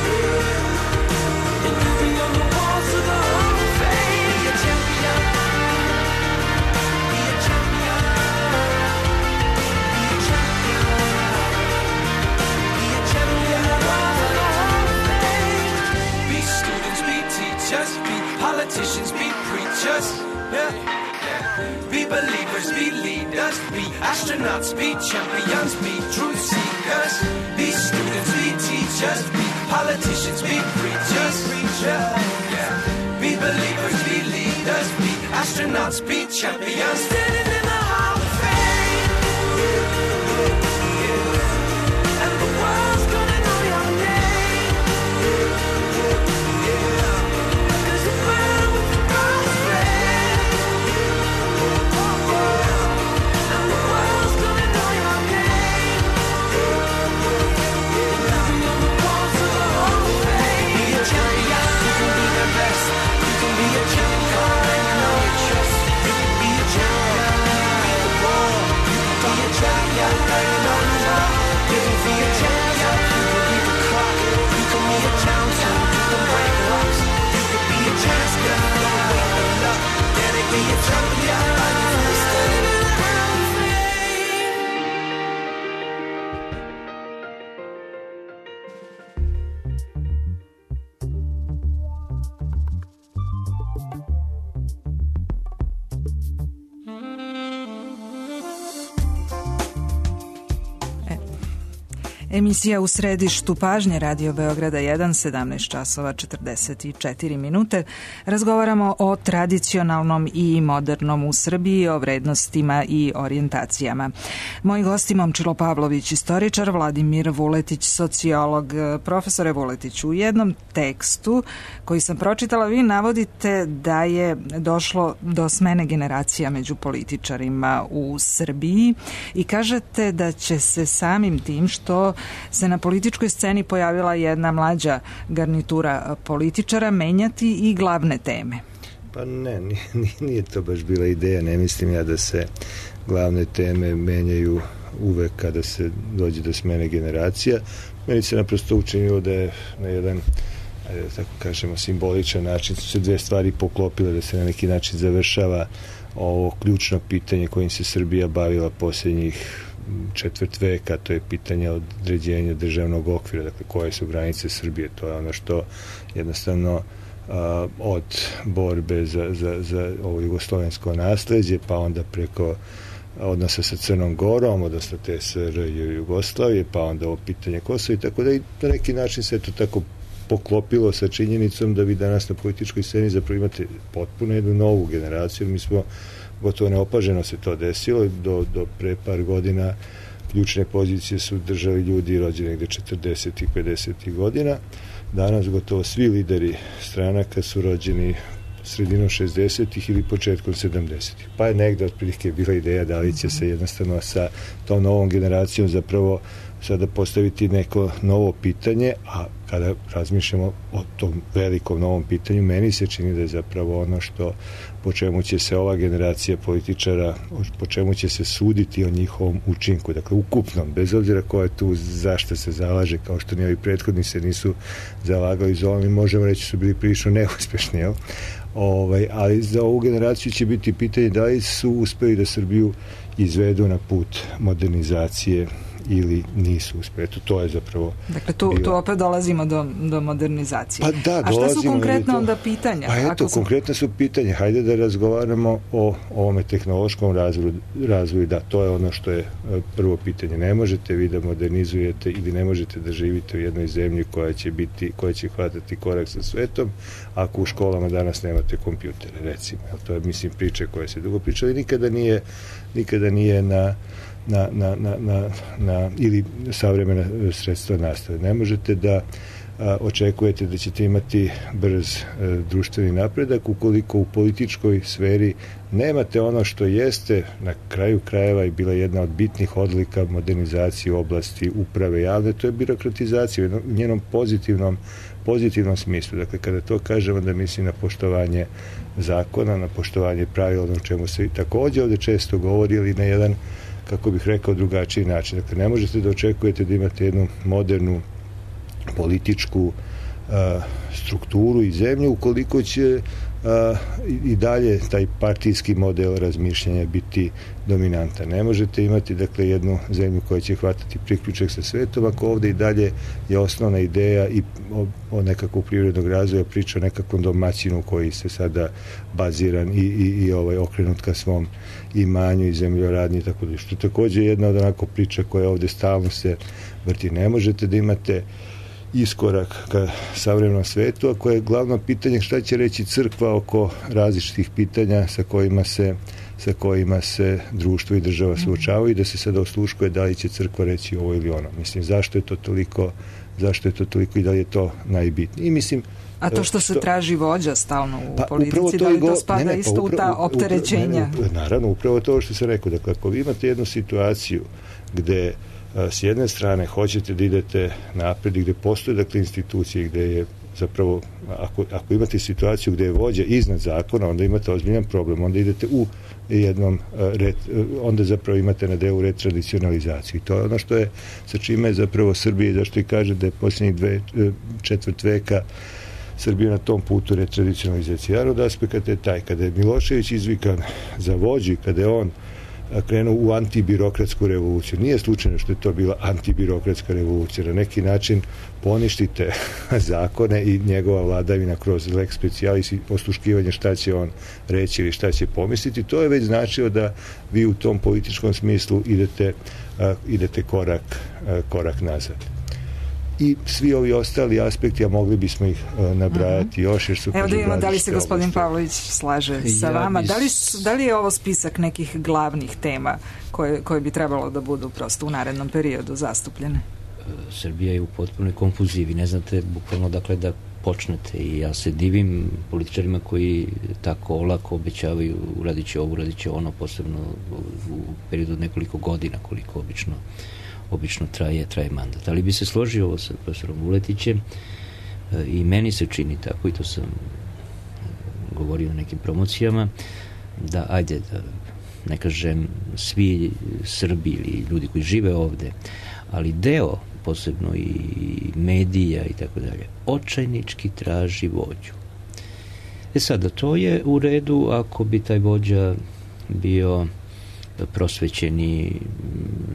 Yeah. And you'll be on the walls of the Hall of Fame. Be a champion. Be a champion. Be a champion. Be a champion. Be students, be teachers, be politicians, be preachers. Yeah. Be believers, be leaders, be astronauts, be champions, be truth seekers. Be students, be teachers, be politicians, be preachers. Yeah. Be believers, be leaders, be astronauts, be champions. Standing in the Hall of Fame. And the world's gonna know your name. 'Cause you burn with the first flame. And the world's gonna know your name. You'll be on the walls of the Hall of Fame. Be a champion. You can be the best. You can be a champion banging on your chest. You can be a champion. Be the world. You can be a champion. Banging on the wall. You can be a champion. You can beat the clock. You can move a mountain. You can break rocks. You can be a champion. Don't wait for luck. Dedicate your champion. Standing in the Hall of Fame. Emisija U središtu pažnje Radio Beograda 1, 17 časova 44 minute. Razgovaramo o tradicionalnom i modernom u Srbiji, o vrednostima i orijentacijama. Moji gosti Momčilo Pavlović, istoričar, Vladimir Vuletić, sociolog. Profesore Vuletić, u jednom tekstu koji sam pročitala vi navodite da je došlo do smene generacija među političarima u Srbiji i kažete da će se samim tim što se na političkoj sceni pojavila jedna mlađa garnitura političara menjati i glavne teme. Pa ne, nije to baš bila ideja, ne mislim ja da se glavne teme menjaju uvek kada se dođe do smene generacija. Meni se naprosto učinilo da je na jedan, ajde da tako kažemo, simboličan način su se dve stvari poklopile, da se na neki način završava ovo ključno pitanje kojim se Srbija bavila posljednjih četvrt veka, to je pitanje određenja državnog okvira, dakle koje su granice Srbije, to je ono što jednostavno od borbe za ovo jugoslovensko nasleđe, pa onda preko odnosa sa Crnom Gorom, odnosno TSR i Jugoslavije, pa onda ovo pitanje Kosova i tako da i na neki način se to tako poklopilo sa činjenicom da vi danas na političkoj sceni zapravo imate potpuno jednu novu generaciju. Mi smo gotovo neopaženo se to desilo. Do pre par godina ključne pozicije su držali ljudi rođeni negde 40. i 50. godina. Danas gotovo svi lideri stranaka su rođeni sredinom 60. ili početkom 70. Pa je negde otprilike bila ideja da li će se jednostavno sa tom novom generacijom zapravo sada postaviti neko novo pitanje, a kada razmišljamo o tom velikom novom pitanju, meni se čini da je zapravo ono što po čemu će se ova generacija političara, po čemu će se suditi o njihovom učinku, dakle ukupnom, bez obzira ko je tu zašto se zalaže, kao što ni ovi prethodni se nisu zalagali za ovo, mi možemo reći su bili prilično neuspešni, jel? Ali za ovu generaciju će biti pitanje da li su uspeli da Srbiju izvedu na put modernizacije ili nisu uspeli. To je zapravo... Dakle, tu opet dolazimo do modernizacije. Pa da, a šta su konkretno onda pitanja? Pa eto, konkretno su pitanja. Hajde da razgovaramo o ovome tehnološkom razvoju. Da, to je ono što je prvo pitanje. Ne možete vi da modernizujete ili ne možete da živite u jednoj zemlji koja će hvatati korak sa svetom ako u školama danas nemate kompjutere, recimo. To je, mislim, priče koje se dugo pričali. Nikada nije na ili savremena sredstva nastave. Ne možete da očekujete da ćete imati brz društveni napredak ukoliko u političkoj sferi nemate ono što jeste na kraju krajeva i bila jedna od bitnih odlika modernizacije u oblasti uprave javne, to je birokratizacija u njenom pozitivnom smislu. Dakle, kada to kažemo, da mislim na poštovanje zakona, na poštovanje pravila, o čemu se takođe ovde često govori, ili na jedan, kako bih rekao, drugačiji način. Dakle, ne možete da očekujete da imate jednu modernu političku strukturu i zemlju ukoliko će i dalje taj partijski model razmišljanja biti dominantan. Ne možete imati, dakle, jednu zemlju koja će hvatati priključak sa svetom ako ovde i dalje je osnovna ideja i o nekakvog privrednog razvoja, priča o nekakvom domaćinu koji se sada baziran i okrenut ka svom imanju i zemljoradnji i tako da, što takođe je jedna od onako priča koja ovde stalno se vrti. Ne možete da imate iskorak ka savremenom svetu, ako je glavno pitanje šta će reći crkva oko različitih pitanja sa kojima se društvo i država suočavaju i da se sada osluškuje da li će crkva reći ovo ili ono. Mislim, zašto je to toliko i da li je to najbitnije. I mislim, a to što se traži vođa stalno u politici, da li to spada isto u ta opterećenja? Naravno, upravo to što sam rekao. Dakle, ako vi imate jednu situaciju gde s jedne strane hoćete da idete napred i gde postoje, dakle, institucije gde je zapravo, ako imate situaciju gde je vođa iznad zakona, onda imate ozbiljan problem, onda idete u jednom onda zapravo imate na delu retradicionalizaciju. I to je ono što je, sa čime je zapravo Srbija, zašto i kaže da je posljednjih četvrt veka Srbija na tom putu retradicionalizacije. Jedan od aspekata je taj, kada je Milošević izvikan za vođu, kada je on krenuo u antibirokratsku revoluciju. Nije slučajno što je to bila antibirokratska revolucija. Na neki način poništite zakone i njegova vladavina kroz lex specialis i osluškivanje šta će on reći ili šta će pomisliti. To je već značilo da vi u tom političkom smislu idete korak nazad. I svi ovi ostali aspekti, a mogli bismo ih nabrajati još, jer su... Evo da vidimo da li se gospodin Pavlović slaže sa vama. Da li je ovo spisak nekih glavnih tema koje bi trebalo da budu prosto u narednom periodu zastupljene? Srbija je u potpunoj konfuzivi. Ne znate bukvalno dakle da počnete i ja se divim političarima koji tako olako obećavaju uradit će ovo, uradit će ono, posebno u periodu od nekoliko godina koliko obično traje mandat. Ali bi se složio ovo sa profesorom Vuletićem i meni se čini tako, i to sam govorio na nekim promocijama, da, ajde, da ne kažem svi Srbi ili ljudi koji žive ovde, ali deo, posebno i medija i tako dalje, očajnički traži vođu. Sada, to je u redu ako bi taj vođa bio prosvećeni,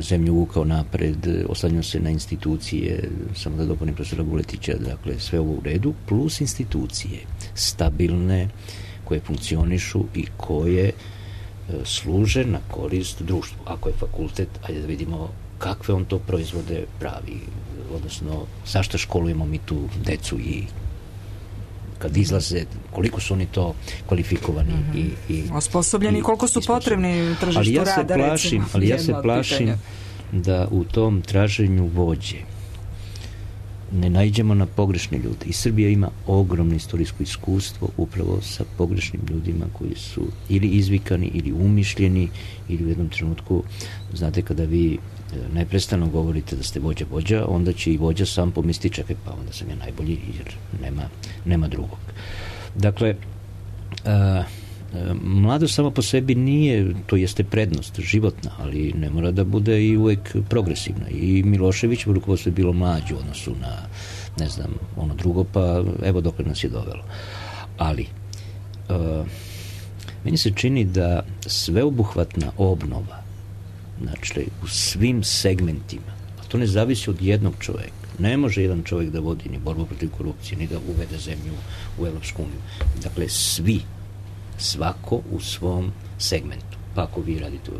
zemlju vukao napred, oslanjao se na institucije, samo da dopunim profesora Vuletića, dakle sve ovo u redu, plus institucije stabilne, koje funkcionišu i koje služe na korist društvu. Ako je fakultet, ajde da vidimo kakve on to proizvode pravi, odnosno zašto školujemo mi tu decu i kad izlaze, koliko su oni to kvalifikovani i osposobljeni, koliko su potrebni tržištu rada, recimo. Ali ja se plašim da u tom traženju vođe ne naiđemo na pogrešne ljude. I Srbija ima ogromno istorijsko iskustvo upravo sa pogrešnim ljudima koji su ili izvikani, ili umišljeni, ili u jednom trenutku, znate, kada vi neprestano govorite da ste vođa, onda će i vođa sam pomisliti, čekaj, pa onda sam ja najbolji, jer nema drugog. Dakle, mladost sama po sebi nije, to jeste prednost, životna, ali ne mora da bude i uvek progresivna. I Milošević u rukovodstvu je bilo mlađe u odnosu na, ne znam, ono drugo, pa evo dokle nas je dovelo. Ali, meni se čini da sveobuhvatna obnova, znači u svim segmentima, a to ne zavisi od jednog čoveka. Ne može jedan čovjek da vodi ni borbu protiv korupcije, ni da uvede zemlju u Evropsku uniju. Dakle, svako u svom segmentu. Pa ako vi radite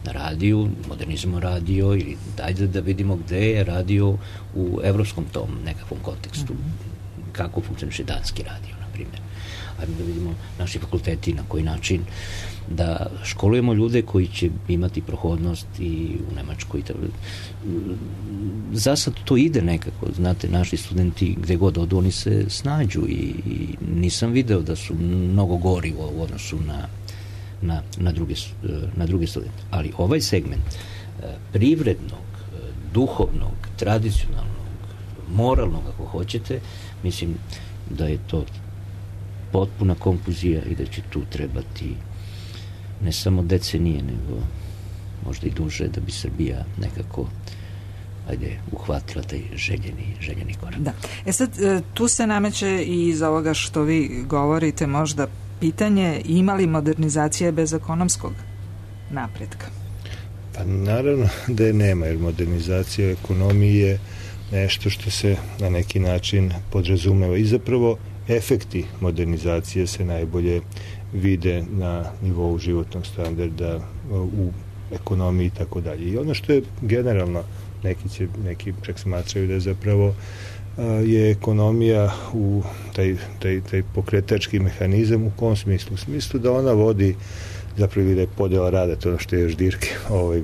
na radiju, modernizmo radio, ili dajde da vidimo gde je radio u evropskom tom nekakvom kontekstu. Kako funkcioniše danski radio, na primjer. Ajmo da vidimo naši fakulteti na koji način da školujemo ljude koji će imati prohodnost i u Nemačkoj. Zasad to ide nekako, znate, naši studenti gde god odu, oni se snađu i nisam video da su mnogo gori u odnosu na druge studente. Ali ovaj segment privrednog, duhovnog, tradicionalnog, moralnog, ako hoćete, mislim da je to potpuna konfuzija i da će tu trebati ne samo decenije, nego možda i duže da bi Srbija nekako uhvatila taj željeni korak. Da. Sad, tu se nameće i iz ovoga što vi govorite možda pitanje, ima li modernizacija bez ekonomskog napretka? Pa naravno da je nema, jer modernizacija ekonomije je nešto što se na neki način podrazumeva i zapravo efekti modernizacije se najbolje vide na nivou životnog standarda u ekonomiji i tako dalje. I ono što je generalno, neki čak smatraju da je zapravo je ekonomija u taj pokretački mehanizam u kom smislu? U smislu da ona vodi zapravo da je podela rada, to ono što je još Dirke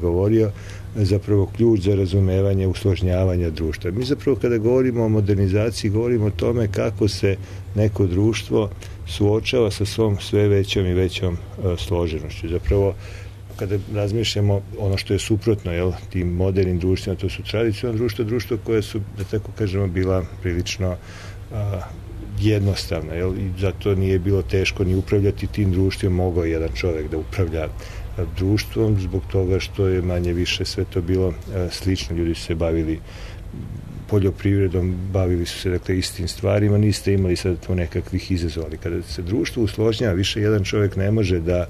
govorio, zapravo ključ za razumevanje usložnjavanja društva. Mi zapravo kada govorimo o modernizaciji, govorimo o tome kako se neko društvo suočava sa svom sve većom i većom složenošću. Zapravo, kada razmišljamo ono što je suprotno tim modernim društvima, to su tradicionalno društvo koje su, da tako kažemo, bila prilično jednostavna, i zato nije bilo teško ni upravljati tim društvom, mogao jedan čovek da upravlja društvom, zbog toga što je manje više sve to bilo slično. Ljudi su se bavili poljoprivredom, bavili su se dakle istim stvarima, niste imali sad to nekakvih izazova. Kada se društvo usložnjava, više jedan čovjek ne može da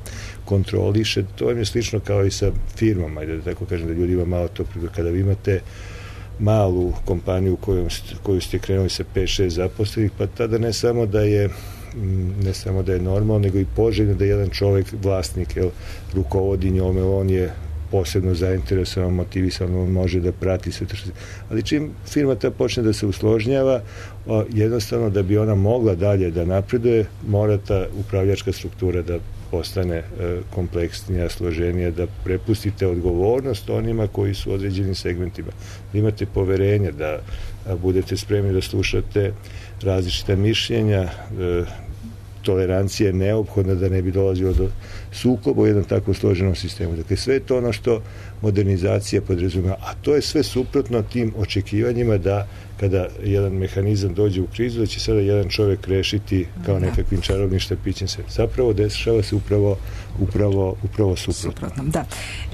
kontroliše, to je slično kao i sa firmama, da tako kažem, da ljudi ima malo to, kada vi imate malu kompaniju koju ste krenuli sa 5-6 zaposlenih, pa tada ne samo da je normalno, nego i poželjno da jedan čovjek, vlasnik, rukovodi njome, on je posebno zainteresovan, motivisan, on može da prati sve to što se... Ali čim firma ta počne da se usložnjava, jednostavno da bi ona mogla dalje da napreduje, mora ta upravljačka struktura da postane kompleksnija, složenija, da prepustite odgovornost onima koji su u određenim segmentima. Da imate poverenje, da budete spremni da slušate različita mišljenja, tolerancija je neophodna da ne bi dolazilo do sukoba u jednom tako složenom sistemu. Dakle, sve je to ono što modernizacija podrazumeva, a to je sve suprotno tim očekivanjima da kada jedan mehanizam dođe u krizu, da će sada jedan čovjek rešiti kao nekakvim čarobnim štapićem sve. Zapravo dešava se upravo suprotno. Da.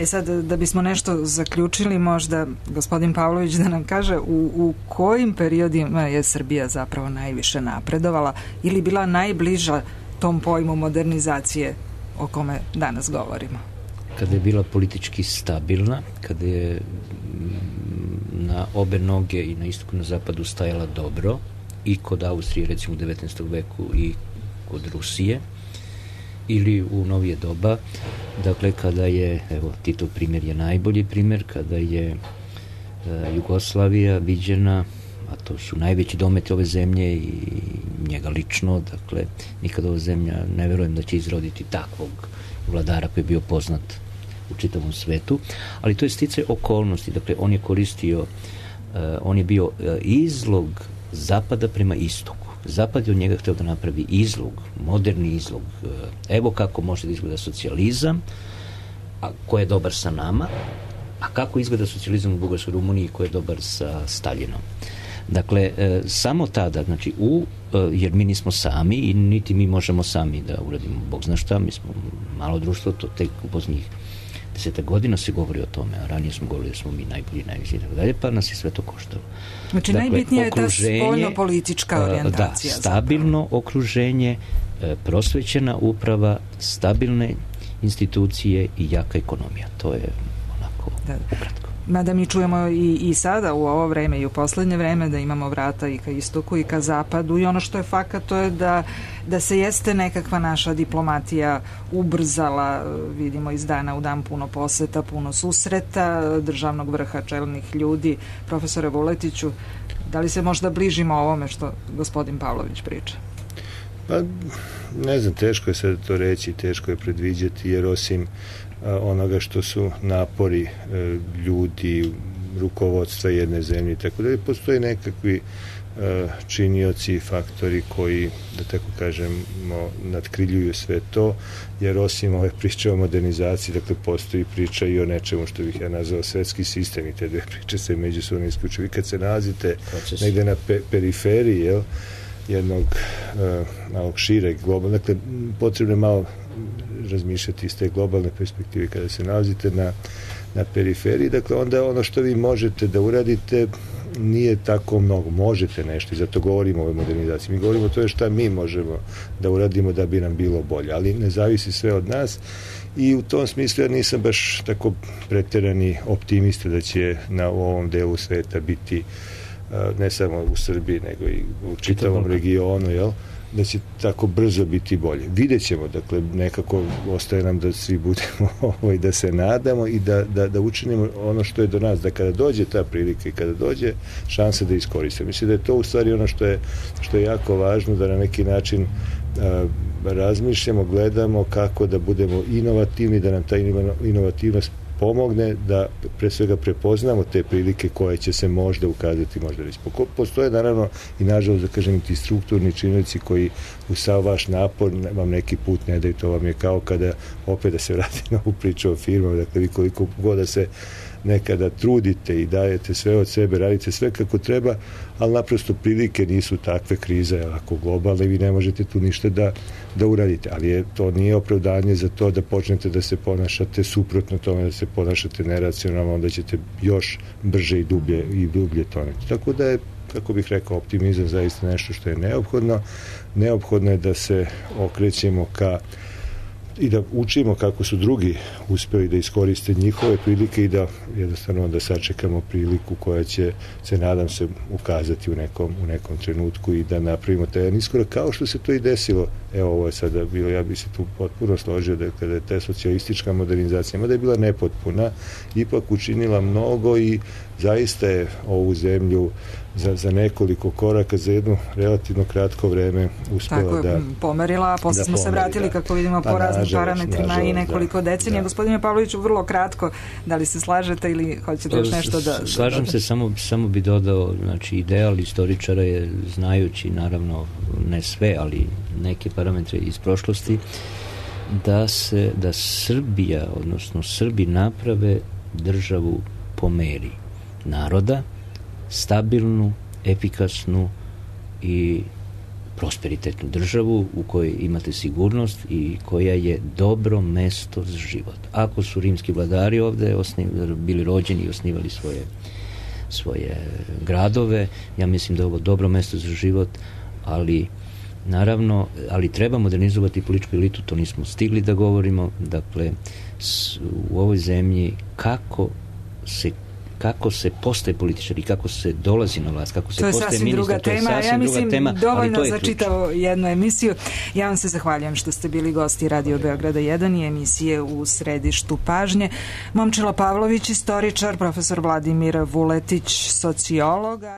Sad, da bismo nešto zaključili, možda gospodin Pavlović da nam kaže u kojim periodima je Srbija zapravo najviše napredovala ili bila najbliža tom pojmu modernizacije o kome danas govorimo? Kada je bila politički stabilna, kada je na obe noge i na istoku i na zapadu stajala dobro, i kod Austrije recimo u 19. veku i kod Rusije, ili u novije doba, dakle kada je, evo Titov primjer je najbolji primjer, kada je Jugoslavija viđena, a to su najveći dometi ove zemlje i njega lično, dakle nikada ova zemlja ne verujem da će izroditi takvog vladara koji je bio poznat u čitavom svetu, ali to je sticaj okolnosti, dakle on je koristio, on je bio izlog zapada prema istoku. Zapad je od njega hteo da napravi izlog, moderni izlog, evo kako može da izgleda socijalizam, a ko je dobar sa nama, A kako izgleda socijalizam u Bugarskoj Rumuniji koji je dobar sa Staljinom? Dakle, samo tada, znači, jer mi nismo sami i niti mi možemo sami da uradimo Bog zna šta, mi smo malo društvo, to tek u posljednjih 10 godina se govori o tome, a ranije smo govorili da smo mi najbolji, najviši i tako dalje, pa nas je sve to koštalo. Znači, dakle, najbitnija je ta spoljno-politička orijentacija. Da, stabilno okruženje, prosvećena uprava, stabilne institucije i jaka ekonomija. To je onako ukratko. Mada mi čujemo i sada u ovo vreme i u poslednje vreme da imamo vrata i ka istoku i ka zapadu i ono što je fakat to je da se jeste nekakva naša diplomatija ubrzala, vidimo iz dana u dan puno poseta, puno susreta državnog vrha, čelnih ljudi. Profesore Vuletiću, da li se možda bližimo ovome što gospodin Pavlović priča? Pa, ne znam, teško je sad to reći, teško je predviđati, jer osim onoga što su napori ljudi, rukovodstva jedne zemlje, tako da postoje nekakvi činioci i faktori koji, da tako kažemo, nadkriljuju sve to, jer osim ove priče o modernizaciji, dakle, postoji priča i o nečemu što bih ja nazvao svetski sistem i te dve priče se međusobno isključuju. Vi kad se nalazite negde na periferiji, jednog malog šireg globalnog, dakle, potrebno je malo razmišljati iz te globalne perspektive kada se nalazite na periferiji, dakle, onda ono što vi možete da uradite nije tako mnogo, možete nešto i zato govorimo o ovoj modernizaciji. Mi govorimo o tome šta mi možemo da uradimo da bi nam bilo bolje, ali ne zavisi sve od nas i u tom smislu ja nisam baš tako preterani optimista da će na ovom delu sveta biti ne samo u Srbiji, nego i u čitavom regionu, da će tako brzo biti bolje. Vidjet ćemo, dakle, nekako ostaje nam da svi budemo da se nadamo i da učinimo ono što je do nas, da kada dođe ta prilika i kada dođe šansa da iskoristimo. Mislim da je to u stvari ono što je jako važno, da na neki način razmišljamo, gledamo kako da budemo inovativni, da nam ta inovativnost pomogne da pre svega prepoznamo te prilike koje će se možda ukazati, možda već. Postoje naravno i nažalost, da kažem, ti strukturni činioci koji u sav vaš napor vam neki put ne daju. To vam je kao kada, opet da se vrati na ovu priču o firmama, dakle, vi koliko god da se nekada trudite i dajete sve od sebe, radite sve kako treba, ali naprosto prilike nisu takve, krize ako globalne, vi ne možete tu ništa da uradite, ali to nije opravdanje za to da počnete da se ponašate suprotno tome, da se ponašate neracionalno, onda ćete još brže i dublje toneti. Tako da je, kako bih rekao, optimizam zaista nešto što je neophodno. Neophodno je da se okrećemo ka i da učimo kako su drugi uspeli da iskoriste njihove prilike i da jednostavno da sačekamo priliku koja će se, nadam se, ukazati u nekom trenutku i da napravimo taj jedan iskorak, kao što se to i desilo. Evo, ovo je sada bilo, ja bih se tu potpuno složio da kada je ta socijalistička modernizacija, mada je bila nepotpuna, ipak učinila mnogo i zaista je ovu zemlju za nekoliko koraka, za jedno relativno kratko vreme uspela da pomerila, a posle smo se vratili, kako vidimo, po raznim parametrima i nekoliko decenija. Gospodine Pavloviću, vrlo kratko, da li se slažete ili hoćete još nešto da... Slažem se, samo bi dodao, znači, ideal istoričara je, znajući, naravno, ne sve, ali neke parametre iz prošlosti, da Srbija, odnosno Srbi, naprave državu po meri naroda, stabilnu, efikasnu i prosperitetnu državu u kojoj imate sigurnost i koja je dobro mesto za život. Ako su rimski vladari ovde bili rođeni i osnivali svoje gradove, ja mislim da je ovo dobro mesto za život, ali naravno, treba modernizovati političku elitu, to nismo stigli da govorimo. Dakle, u ovoj zemlji kako se postaje političar i kako se dolazi na vlast, kako se postaje ministar, to je sasvim druga tema. Dovoljno za čitavu jednu emisiju. Ja vam se zahvaljujem što ste bili gosti Radio Beograda 1 i emisije U središtu pažnje. Momčilo Pavlović, istoričar, profesor Vladimir Vuletić, sociolog.